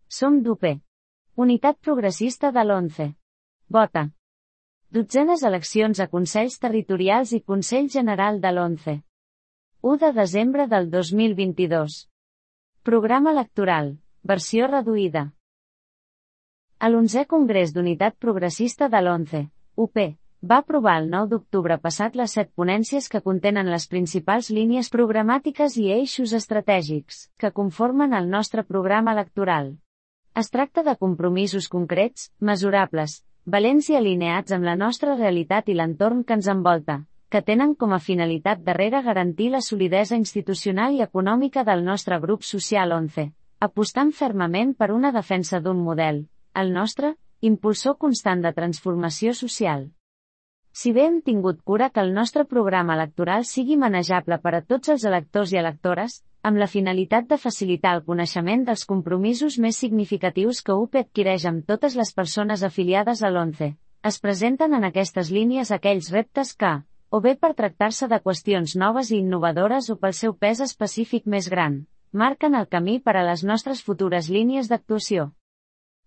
Som d'UP. Unitat Progressista de l'11. Vota. 12enes eleccions a Consells Territorials i Consell General de l'11. 1 de desembre del 2022. Programa electoral, versió reduïda. A l'11è Congrés d'Unitat Progressista de l'11, UP, va aprovar el 9 d'octubre passat les 7 ponències que contenen les principals línies programàtiques i eixos estratègics que conformen el nostre programa electoral. Es tracta de compromisos concrets, mesurables, valents i alineats amb la nostra realitat i l'entorn que ens envolta, que tenen com a finalitat darrere garantir la solidesa institucional i econòmica del nostre grup social 11, apostant fermament per una defensa d'un model, el nostre, impulsor constant de transformació social. Si bé hem tingut cura que el nostre programa electoral sigui manejable per a tots els electors i electores, amb la finalitat de facilitar el coneixement dels compromisos més significatius que UP adquireix amb totes les persones afiliades a l'11, es presenten en aquestes línies aquells reptes que, o bé per tractar-se de qüestions noves i innovadores o pel seu pes específic més gran, marquen el camí per a les nostres futures línies d'actuació.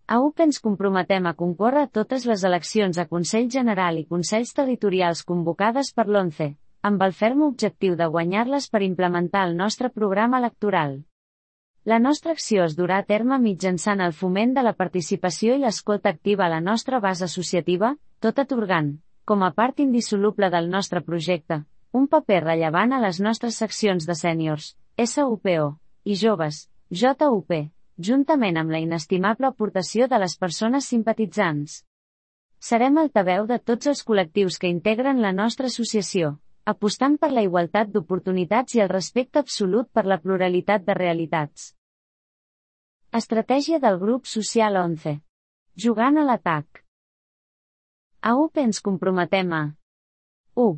A UP ens comprometem a concórrer a totes les eleccions a Consell General i Consells Territorials convocades per l'11, amb el ferm objectiu de guanyar-les per implementar el nostre programa electoral. La nostra acció es durà a terme mitjançant el foment de la participació i l'escolta activa a la nostra base associativa, tot atorgant, com a part indissoluble del nostre projecte, un paper rellevant a les nostres seccions de sèniors, SUPO, i joves, JUP, juntament amb la inestimable aportació de les persones simpatitzants. Serem altaveu de tots els col·lectius que integren la nostra associació, apostant per la igualtat d'oportunitats i el respecte absolut per la pluralitat de realitats. Estratègia del grup social 11. Jugant a l'atac. A UP ens comprometem a 1.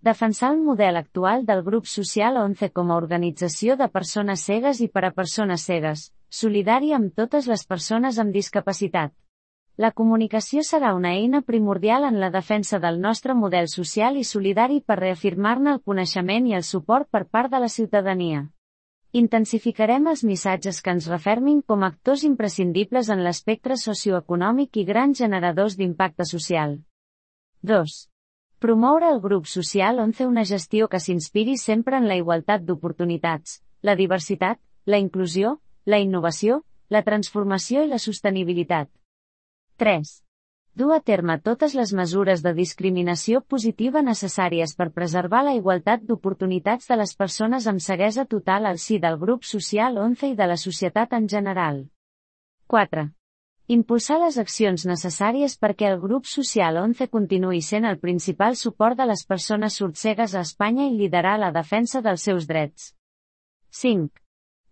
Defensar el model actual del grup social 11 com a organització de persones cegues i per a persones cegues, solidari amb totes les persones amb discapacitat. La comunicació serà una eina primordial en la defensa del nostre model social i solidari per reafirmar-ne el coneixement i el suport per part de la ciutadania. Intensificarem els missatges que ens refermin com a actors imprescindibles en l'espectre socioeconòmic i grans generadors d'impacte social. 2. Promoure el grup social 11 una gestió que s'inspiri sempre en la igualtat d'oportunitats, la diversitat, la inclusió, la innovació, la transformació i la sostenibilitat. 3. Dur a terme totes les mesures de discriminació positiva necessàries per preservar la igualtat d'oportunitats de les persones amb ceguesa total al si del grup social 11 i de la societat en general. 4. Impulsar les accions necessàries perquè el grup social 11 continuï sent el principal suport de les persones sordcegues a Espanya i liderar la defensa dels seus drets. 5.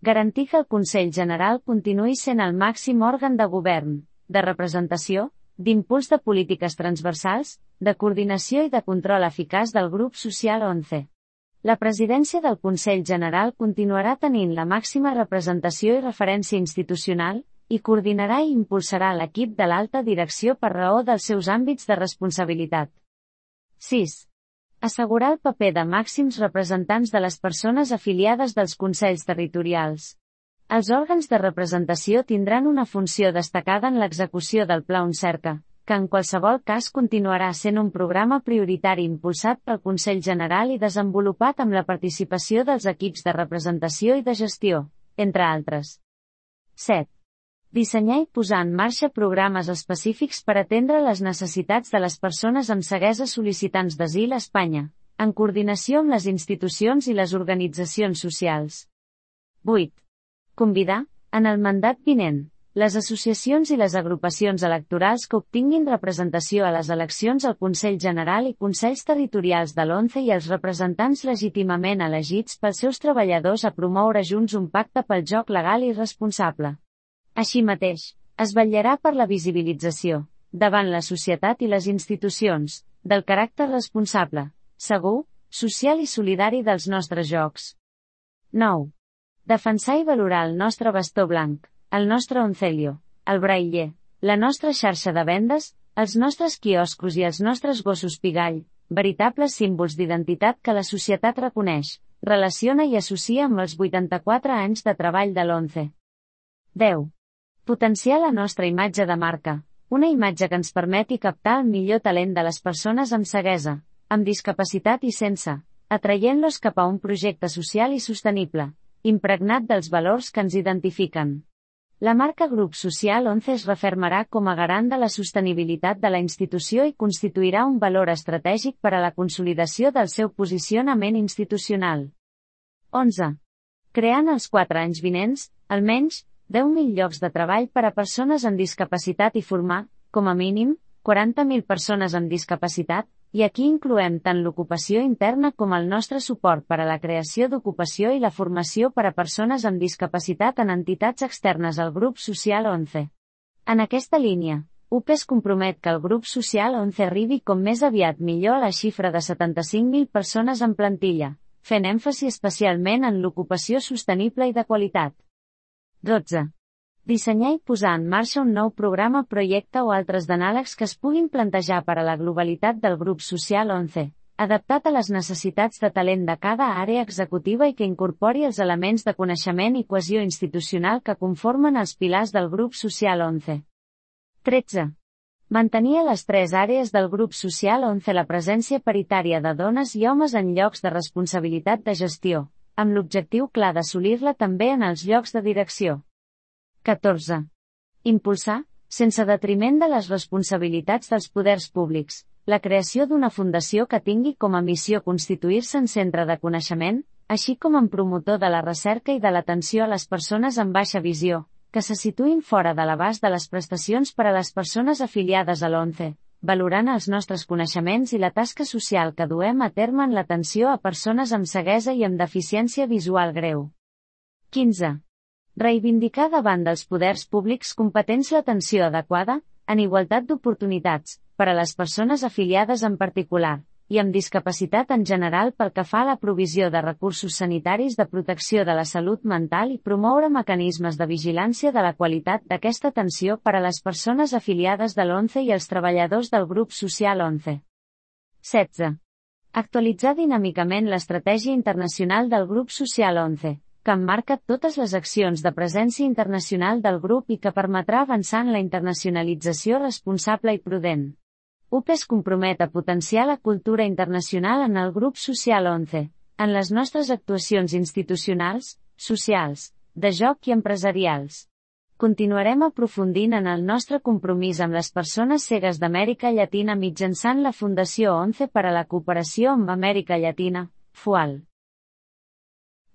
Garantir que el Consell General continuï sent el màxim òrgan de govern, de representació, d'impuls de polítiques transversals, de coordinació i de control eficaç del grup social 11. La presidència del Consell General continuarà tenint la màxima representació i referència institucional, i coordinarà i impulsarà l'equip de l'alta direcció per raó dels seus àmbits de responsabilitat. 6. Assegurar el paper de màxims representants de les persones afiliades dels consells territorials. Els òrgans de representació tindran una funció destacada en l'execució del Pla Oncerca, que en qualsevol cas continuarà sent un programa prioritari impulsat pel Consell General i desenvolupat amb la participació dels equips de representació i de gestió, entre altres. 7. Dissenyar i posar en marxa programes específics per atendre les necessitats de les persones amb ceguesa sol·licitants d'asil a Espanya, en coordinació amb les institucions i les organitzacions socials. 8. Convidar, en el mandat vinent, les associacions i les agrupacions electorals que obtinguin representació a les eleccions al Consell General i Consells Territorials de l'11 i els representants legítimament elegits pels seus treballadors a promoure junts un pacte pel joc legal i responsable. Així mateix, es vetllarà per la visibilització, davant la societat i les institucions, del caràcter responsable, segur, social i solidari dels nostres jocs. 9. Defensar i valorar el nostre bastó blanc, el nostre oncelio, el brailler, la nostra xarxa de vendes, els nostres quioscos i els nostres gossos pigall, veritables símbols d'identitat que la societat reconeix, relaciona i associa amb els 84 anys de treball de l'11. 10. Potenciar la nostra imatge de marca, una imatge que ens permeti captar el millor talent de les persones amb ceguesa, amb discapacitat i sense, atraient-los cap a un projecte social i sostenible, impregnat dels valors que ens identifiquen. La marca Grup Social 11 es refermarà com a garant de la sostenibilitat de la institució i constituirà un valor estratègic per a la consolidació del seu posicionament institucional. 11. Creant els 4 anys vinents, almenys, 10.000 llocs de treball per a persones amb discapacitat i formar, com a mínim, 40.000 persones amb discapacitat, i aquí incloem tant l'ocupació interna com el nostre suport per a la creació d'ocupació i la formació per a persones amb discapacitat en entitats externes al Grup Social 11. En aquesta línia, UP es compromet que el Grup Social 11 arribi com més aviat millor a la xifra de 75.000 persones en plantilla, fent èmfasi especialment en l'ocupació sostenible i de qualitat. 12. Dissenyar i posar en marxa un nou programa, projecte o altres d'anàlegs que es puguin plantejar per a la globalitat del Grup Social 11, adaptat a les necessitats de talent de cada àrea executiva i que incorpori els elements de coneixement i cohesió institucional que conformen els pilars del Grup Social 11. 13. Mantenir a les 3 àrees del Grup Social 11 la presència paritària de dones i homes en llocs de responsabilitat de gestió, amb l'objectiu clar d'assolir-la també en els llocs de direcció. 14. Impulsar, sense detriment de les responsabilitats dels poders públics, la creació d'una fundació que tingui com a missió constituir-se en centre de coneixement, així com en promotor de la recerca i de l'atenció a les persones amb baixa visió, que se situïn fora de l'abast de les prestacions per a les persones afiliades a l'ONCE, valorant els nostres coneixements i la tasca social que duem a terme en l'atenció a persones amb ceguesa i amb deficiència visual greu. 15. Reivindicar davant dels poders públics competents l'atenció adequada, en igualtat d'oportunitats, per a les persones afiliades en particular, i amb discapacitat en general pel que fa a la provisió de recursos sanitaris de protecció de la salut mental i promoure mecanismes de vigilància de la qualitat d'aquesta atenció per a les persones afiliades de l'ONCE i els treballadors del Grup Social 11. 16. Actualitzar dinàmicament l'estratègia internacional del Grup Social 11, que emmarca totes les accions de presència internacional del grup i que permetrà avançar en la internacionalització responsable i prudent. UP es compromet a potenciar la cultura internacional en el Grup Social 11, en les nostres actuacions institucionals, socials, de joc i empresarials. Continuarem aprofundint en el nostre compromís amb les persones cegues d'Amèrica Llatina mitjançant la Fundació 11 per a la cooperació amb Amèrica Llatina, FUAL.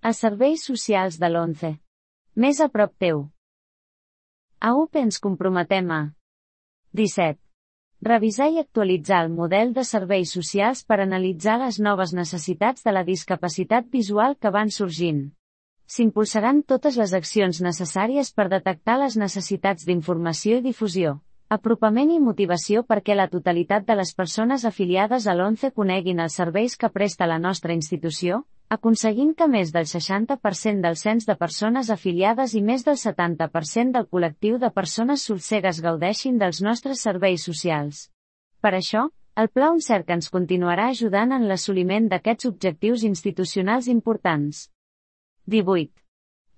Els serveis socials de l'ONCE. Més a prop teu. A UP ens comprometem a 17. Revisar i actualitzar el model de serveis socials per analitzar les noves necessitats de la discapacitat visual que van sorgint. S'impulsaran totes les accions necessàries per detectar les necessitats d'informació i difusió, apropament i motivació perquè la totalitat de les persones afiliades a l'ONCE coneguin els serveis que presta la nostra institució, aconseguint que més del 60% del cens de persones afiliades i més del 70% del col·lectiu de persones sordcegues gaudeixin dels nostres serveis socials. Per això, el Pla UNCERC ens continuarà ajudant en l'assoliment d'aquests objectius institucionals importants. 18.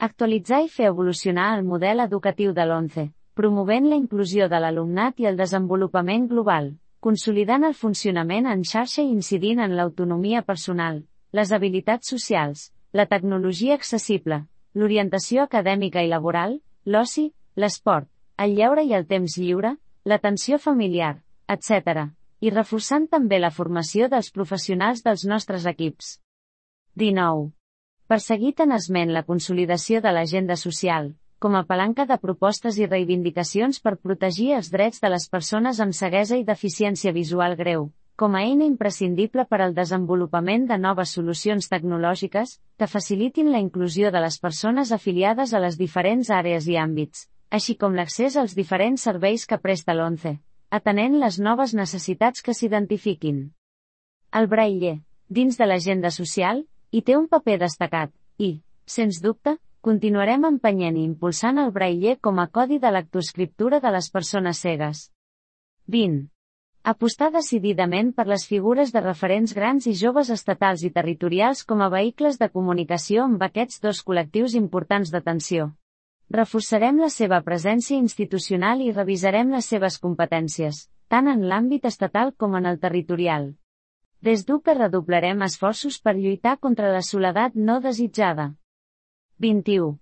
Actualitzar i fer evolucionar el model educatiu de l'ONCE, promovent la inclusió de l'alumnat i el desenvolupament global, consolidant el funcionament en xarxa i incidint en l'autonomia personal, les habilitats socials, la tecnologia accessible, l'orientació acadèmica i laboral, l'oci, l'esport, el lleure i el temps lliure, l'atenció familiar, etc., i reforçant també la formació dels professionals dels nostres equips. 19. Perseguir tenaçment la consolidació de l'agenda social, com a palanca de propostes i reivindicacions per protegir els drets de les persones amb ceguesa i deficiència visual greu, com a eina imprescindible per al desenvolupament de noves solucions tecnològiques, que facilitin la inclusió de les persones afiliades a les diferents àrees i àmbits, així com l'accés als diferents serveis que presta l'ONCE, atenent les noves necessitats que s'identifiquin. El braille, dins de l'agenda social, hi té un paper destacat, i, sens dubte, continuarem empenyent i impulsant el braille com a codi de lectoescriptura de les persones cegues. 20. Apostar decididament per les figures de referents grans i joves estatals i territorials com a vehicles de comunicació amb aquests dos col·lectius importants d'atenció. Reforçarem la seva presència institucional i revisarem les seves competències, tant en l'àmbit estatal com en el territorial. Des d'UPE redoblarem esforços per lluitar contra la soledat no desitjada. 21.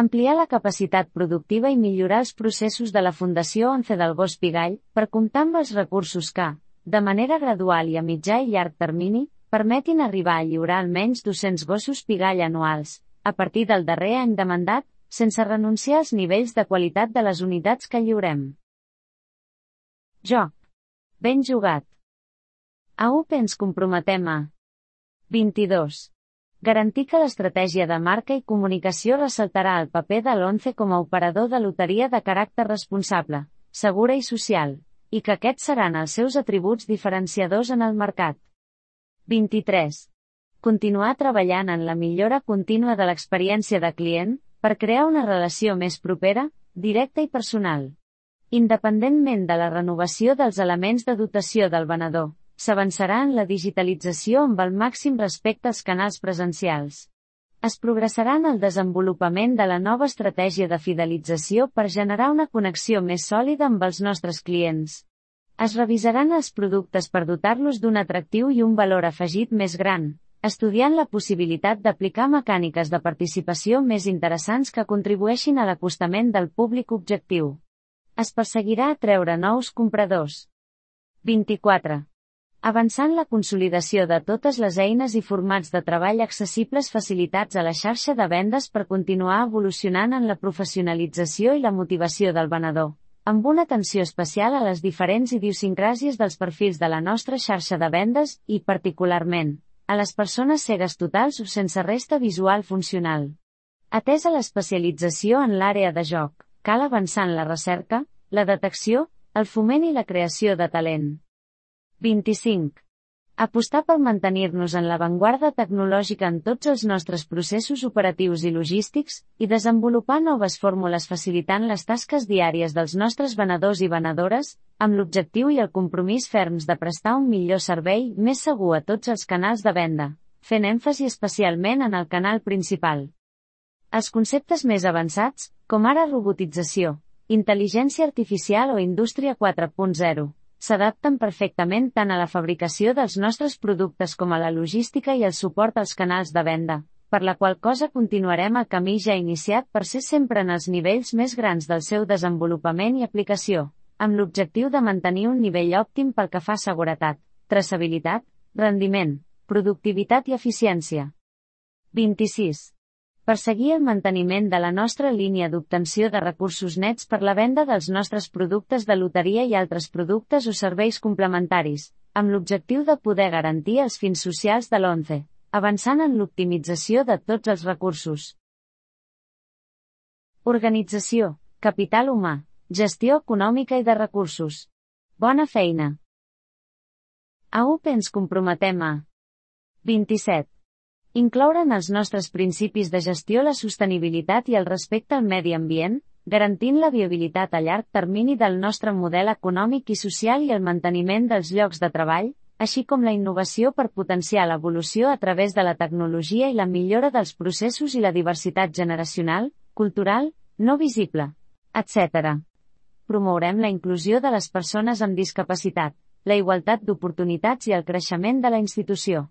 Ampliar la capacitat productiva i millorar els processos de la Fundació 11 del Gos Pigall, per comptar amb els recursos que, de manera gradual i a mitjà i llarg termini, permetin arribar a lliurar almenys 200 gossos Pigall anuals, a partir del darrer any de mandat, sense renunciar als nivells de qualitat de les unitats que lliurem. Joc. Ben jugat. A UPE ens comprometem a 22. Garantir que l'estratègia de marca i comunicació ressaltarà el paper de l'11 com a operador de loteria de caràcter responsable, segura i social, i que aquests seran els seus atributs diferenciadors en el mercat. 23. Continuar treballant en la millora contínua de l'experiència de client, per crear una relació més propera, directa i personal. Independentment de la renovació dels elements de dotació del venedor, s'avançarà en la digitalització amb el màxim respecte als canals presencials. Es progressarà en el desenvolupament de la nova estratègia de fidelització per generar una connexió més sòlida amb els nostres clients. Es revisaran els productes per dotar-los d'un atractiu i un valor afegit més gran, estudiant la possibilitat d'aplicar mecàniques de participació més interessants que contribueixin a l'acostament del públic objectiu. Es perseguirà atreure nous compradors. 24. Avançant la consolidació de totes les eines i formats de treball accessibles facilitats a la xarxa de vendes per continuar evolucionant en la professionalització i la motivació del venedor, amb una atenció especial a les diferents idiosincràsies dels perfils de la nostra xarxa de vendes i, particularment, a les persones cegues totals o sense resta visual funcional. Atesa l'especialització en l'àrea de joc, cal avançar en la recerca, la detecció, el foment i la creació de talent. 25. Apostar per mantenir-nos en l'avantguarda tecnològica en tots els nostres processos operatius i logístics, i desenvolupar noves fórmules facilitant les tasques diàries dels nostres venedors i venedores, amb l'objectiu i el compromís ferms de prestar un millor servei més segur a tots els canals de venda, fent èmfasi especialment en el canal principal. Els conceptes més avançats, com ara robotització, intel·ligència artificial o indústria 4.0, s'adapten perfectament tant a la fabricació dels nostres productes com a la logística i el suport als canals de venda, per la qual cosa continuarem el camí ja iniciat per ser sempre en els nivells més grans del seu desenvolupament i aplicació, amb l'objectiu de mantenir un nivell òptim pel que fa a seguretat, traçabilitat, rendiment, productivitat i eficiència. 26. Perseguir el manteniment de la nostra línia d'obtenció de recursos nets per la venda dels nostres productes de loteria i altres productes o serveis complementaris, amb l'objectiu de poder garantir els fins socials de l'11, avançant en l'optimització de tots els recursos. Organització, capital humà, gestió econòmica i de recursos. Bona feina! A UPE ens comprometem a 27. Incloure en els nostres principis de gestió la sostenibilitat i el respecte al medi ambient, garantint la viabilitat a llarg termini del nostre model econòmic i social i el manteniment dels llocs de treball, així com la innovació per potenciar l'evolució a través de la tecnologia i la millora dels processos i la diversitat generacional, cultural, no visible, etc. Promourem la inclusió de les persones amb discapacitat, la igualtat d'oportunitats i el creixement de la institució.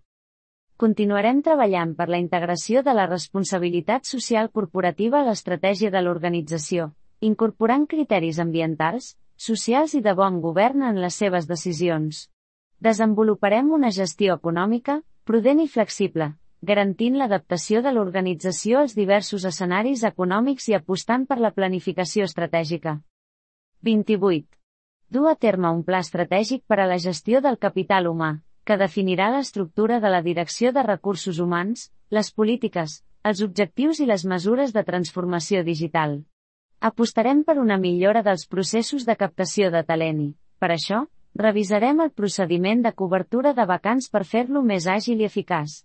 Continuarem treballant per la integració de la responsabilitat social corporativa a l'estratègia de l'organització, incorporant criteris ambientals, socials i de bon govern en les seves decisions. Desenvoluparem una gestió econòmica, prudent i flexible, garantint l'adaptació de l'organització als diversos escenaris econòmics i apostant per la planificació estratègica. 28. Dur a terme un pla estratègic per a la gestió del capital humà, que definirà l'estructura de la direcció de recursos humans, les polítiques, els objectius i les mesures de transformació digital. Apostarem per una millora dels processos de captació de talent i, per això, revisarem el procediment de cobertura de vacants per fer-lo més àgil i eficaç.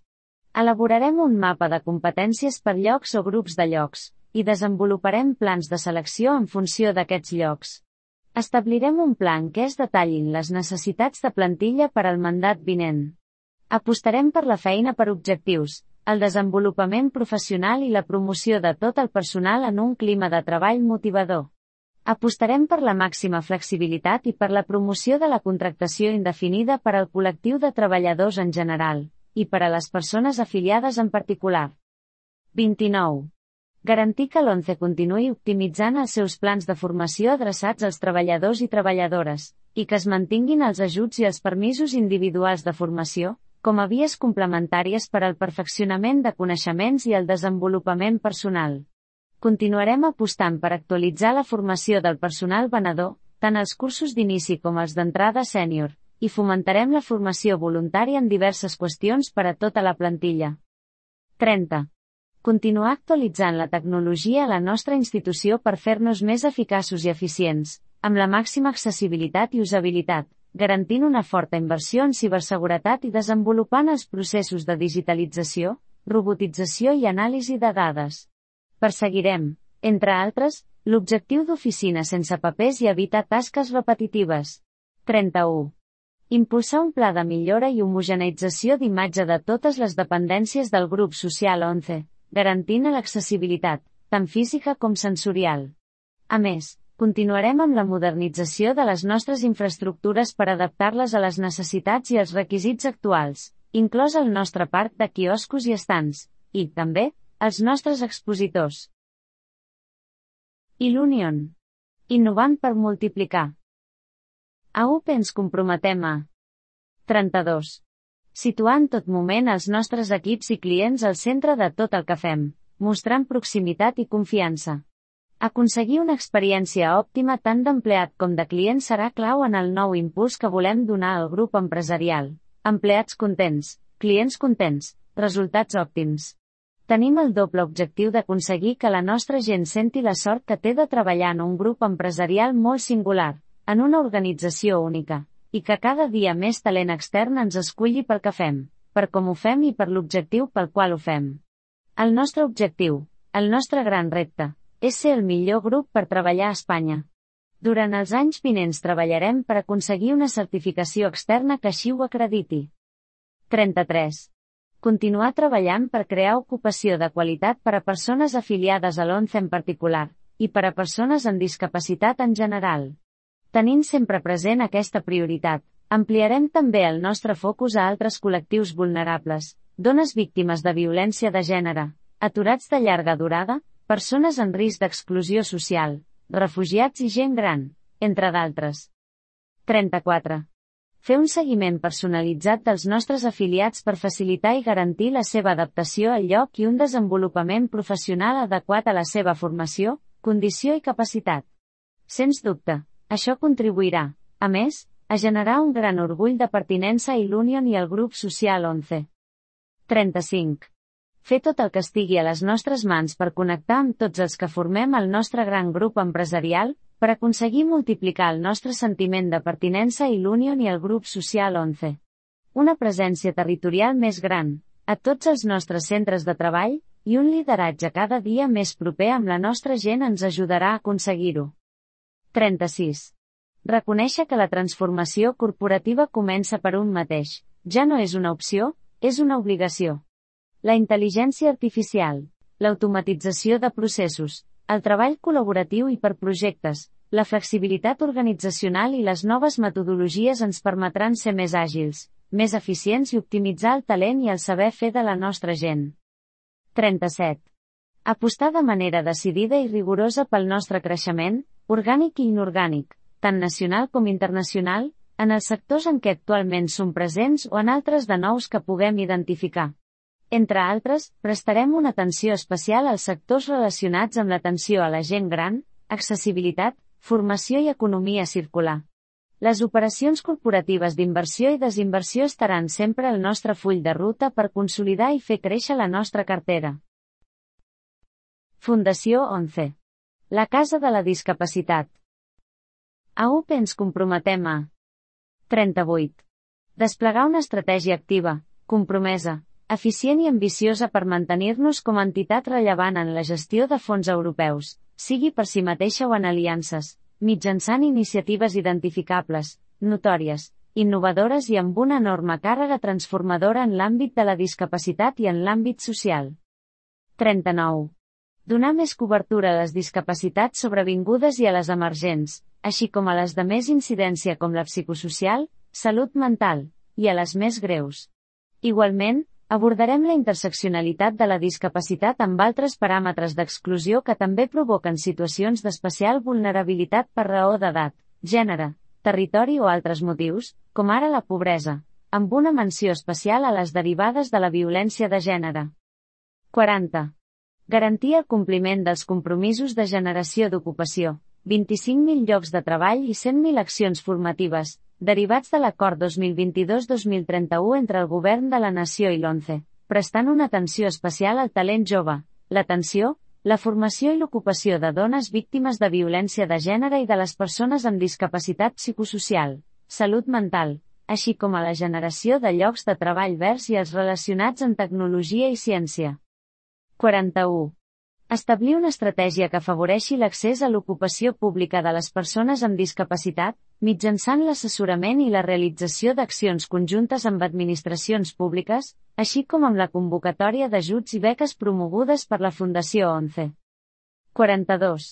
Elaborarem un mapa de competències per llocs o grups de llocs, i desenvoluparem plans de selecció en funció d'aquests llocs. Establirem un pla en què es detallin les necessitats de plantilla per al mandat vinent. Apostarem per la feina per objectius, el desenvolupament professional i la promoció de tot el personal en un clima de treball motivador. Apostarem per la màxima flexibilitat i per la promoció de la contractació indefinida per al col·lectiu de treballadors en general, i per a les persones afiliades en particular. 29. Garantir que l'ONCE continuï optimitzant els seus plans de formació adreçats als treballadors i treballadores, i que es mantinguin els ajuts i els permisos individuals de formació, com a vies complementàries per al perfeccionament de coneixements i el desenvolupament personal. Continuarem apostant per actualitzar la formació del personal venedor, tant els cursos d'inici com els d'entrada sènior, i fomentarem la formació voluntària en diverses qüestions per a tota la plantilla. 30. Continuar actualitzant la tecnologia a la nostra institució per fer-nos més eficaços i eficients, amb la màxima accessibilitat i usabilitat, garantint una forta inversió en ciberseguretat i desenvolupant els processos de digitalització, robotització i anàlisi de dades. Perseguirem, entre altres, l'objectiu d'oficina sense papers i evitar tasques repetitives. 31. Impulsar un pla de millora i homogeneïtzació d'imatge de totes les dependències del grup social ONCE, garantint l'accessibilitat, tant física com sensorial. A més, continuarem amb la modernització de les nostres infraestructures per adaptar-les a les necessitats i els requisits actuals, inclòs el nostre parc de quioscos i estants, i, també, els nostres expositors. Ilunion. Innovant per multiplicar. A UP ens comprometem a 32. Situar en tot moment els nostres equips i clients al centre de tot el que fem, mostrant proximitat i confiança. Aconseguir una experiència òptima tant d'empleat com de client serà clau en el nou impuls que volem donar al grup empresarial. Empleats contents, clients contents, resultats òptims. Tenim el doble objectiu d'aconseguir que la nostra gent senti la sort que té de treballar en un grup empresarial molt singular, en una organització única, i que cada dia més talent extern ens esculli pel que fem, per com ho fem i per l'objectiu pel qual ho fem. El nostre objectiu, el nostre gran repte, és ser el millor grup per treballar a Espanya. Durant els anys vinents treballarem per aconseguir una certificació externa que així ho acrediti. 33. Continuar treballant per crear ocupació de qualitat per a persones afiliades a l'ONCE en particular, i per a persones amb discapacitat en general. Tenint sempre present aquesta prioritat, ampliarem també el nostre focus a altres col·lectius vulnerables, dones víctimes de violència de gènere, aturats de llarga durada, persones en risc d'exclusió social, refugiats i gent gran, entre d'altres. 34. Fer un seguiment personalitzat dels nostres afiliats per facilitar i garantir la seva adaptació al lloc i un desenvolupament professional adequat a la seva formació, condició i capacitat. Sens dubte, això contribuirà, a més, a generar un gran orgull de pertinença a Ilunion i al grup social ONCE. 35. Fer tot el que estigui a les nostres mans per connectar amb tots els que formem el nostre gran grup empresarial, per aconseguir multiplicar el nostre sentiment de pertinença a Ilunion i al grup social ONCE. Una presència territorial més gran, a tots els nostres centres de treball, i un lideratge cada dia més proper amb la nostra gent ens ajudarà a aconseguir-ho. 36. Reconèixer que la transformació corporativa comença per un mateix, ja no és una opció, és una obligació. La intel·ligència artificial, l'automatització de processos, el treball col·laboratiu i per projectes, la flexibilitat organitzacional i les noves metodologies ens permetran ser més àgils, més eficients i optimitzar el talent i el saber fer de la nostra gent. 37. Apostar de manera decidida i rigorosa pel nostre creixement, orgànic i inorgànic, tant nacional com internacional, en els sectors en què actualment som presents o en altres de nous que puguem identificar. Entre altres, prestarem una atenció especial als sectors relacionats amb l'atenció a la gent gran, accessibilitat, formació i economia circular. Les operacions corporatives d'inversió i desinversió estaran sempre al nostre full de ruta per consolidar i fer créixer la nostra cartera. Fundació ONCE. La Casa de la Discapacitat. A UP ens comprometem a 38. Desplegar una estratègia activa, compromesa, eficient i ambiciosa per mantenir-nos com a entitat rellevant en la gestió de fons europeus, sigui per si mateixa o en aliances, mitjançant iniciatives identificables, notòries, innovadores i amb una enorme càrrega transformadora en l'àmbit de la discapacitat i en l'àmbit social. 39. Donar més cobertura a les discapacitats sobrevingudes i a les emergents, així com a les de més incidència com la psicosocial, salut mental, i a les més greus. Igualment, abordarem la interseccionalitat de la discapacitat amb altres paràmetres d'exclusió que també provoquen situacions d'especial vulnerabilitat per raó d'edat, gènere, territori o altres motius, com ara la pobresa, amb una menció especial a les derivades de la violència de gènere. 40. Garantir el compliment dels compromisos de generació d'ocupació, 25.000 llocs de treball i 100.000 accions formatives, derivats de l'Acord 2022-2031 entre el Govern de la Nació i l'ONCE, prestant una atenció especial al talent jove, l'atenció, la formació i l'ocupació de dones víctimes de violència de gènere i de les persones amb discapacitat psicosocial, salut mental, així com a la generació de llocs de treball verds i els relacionats amb tecnologia i ciència. 41. Establir una estratègia que afavoreixi l'accés a l'ocupació pública de les persones amb discapacitat, mitjançant l'assessorament i la realització d'accions conjuntes amb administracions públiques, així com amb la convocatòria d'ajuts i beques promogudes per la Fundació ONCE. 42.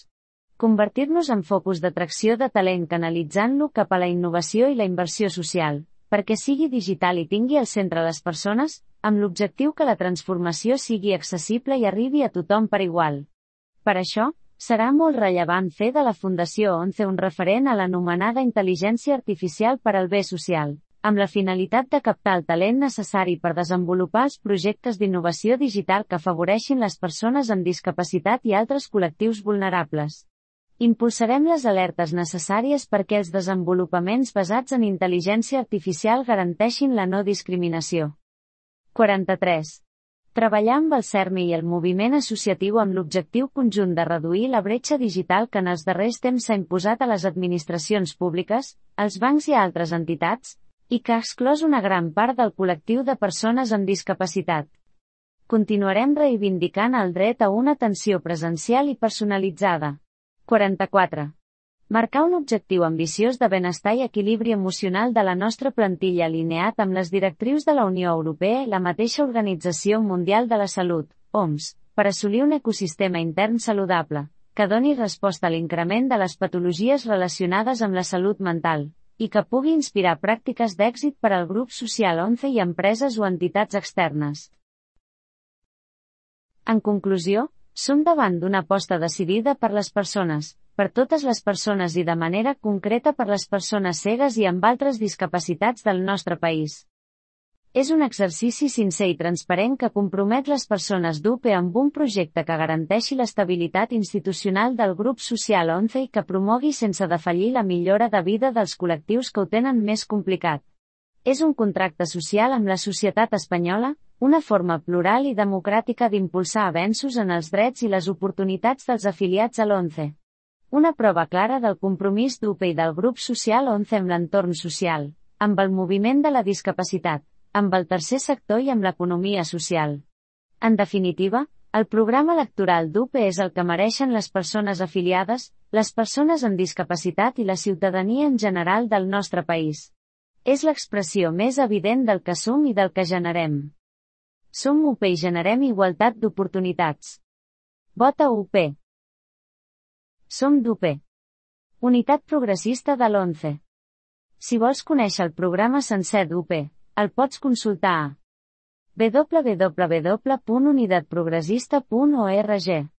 Convertir-nos en focus d'atracció de talent canalitzant-lo cap a la innovació i la inversió social, perquè sigui digital i tingui al centre les persones, amb l'objectiu que la transformació sigui accessible i arribi a tothom per igual. Per això, serà molt rellevant fer de la Fundació ONCE un referent a l'anomenada intel·ligència artificial per al bé social, amb la finalitat de captar el talent necessari per desenvolupar els projectes d'innovació digital que afavoreixin les persones amb discapacitat i altres col·lectius vulnerables. Impulsarem les alertes necessàries perquè els desenvolupaments basats en intel·ligència artificial garanteixin la no discriminació. 43. Treballar amb el CERMI i el moviment associatiu amb l'objectiu conjunt de reduir la bretxa digital que en els darrers temps s'ha imposat a les administracions públiques, als bancs i a altres entitats, i que ha exclòs una gran part del col·lectiu de persones amb discapacitat. Continuarem reivindicant el dret a una atenció presencial i personalitzada. 44. Marcar un objectiu ambiciós de benestar i equilibri emocional de la nostra plantilla alineat amb les directrius de la Unió Europea i la mateixa Organització Mundial de la Salut, OMS, per assolir un ecosistema intern saludable, que doni resposta a l'increment de les patologies relacionades amb la salut mental, i que pugui inspirar pràctiques d'èxit per al grup social ONCE i empreses o entitats externes. En conclusió, som davant d'una aposta decidida per les persones, per totes les persones i de manera concreta per les persones cegues i amb altres discapacitats del nostre país. És un exercici sincer i transparent que compromet les persones d'UPE amb un projecte que garanteixi l'estabilitat institucional del grup social ONCE i que promogui sense defallir la millora de vida dels col·lectius que ho tenen més complicat. És un contracte social amb la societat espanyola, una forma plural i democràtica d'impulsar avenços en els drets i les oportunitats dels afiliats a l'ONCE. Una prova clara del compromís d'UPE i del grup social ONCE amb l'entorn social, amb el moviment de la discapacitat, amb el tercer sector i amb l'economia social. En definitiva, el programa electoral d'UPE és el que mereixen les persones afiliades, les persones amb discapacitat i la ciutadania en general del nostre país. És l'expressió més evident del que som i del que generem. Som UPE i generem igualtat d'oportunitats. Vota UPE. Som d'UPE. Unitat Progressista de l'ONCE. Si vols conèixer el programa sencer d'UPE, el pots consultar a www.unidatprogressista.org.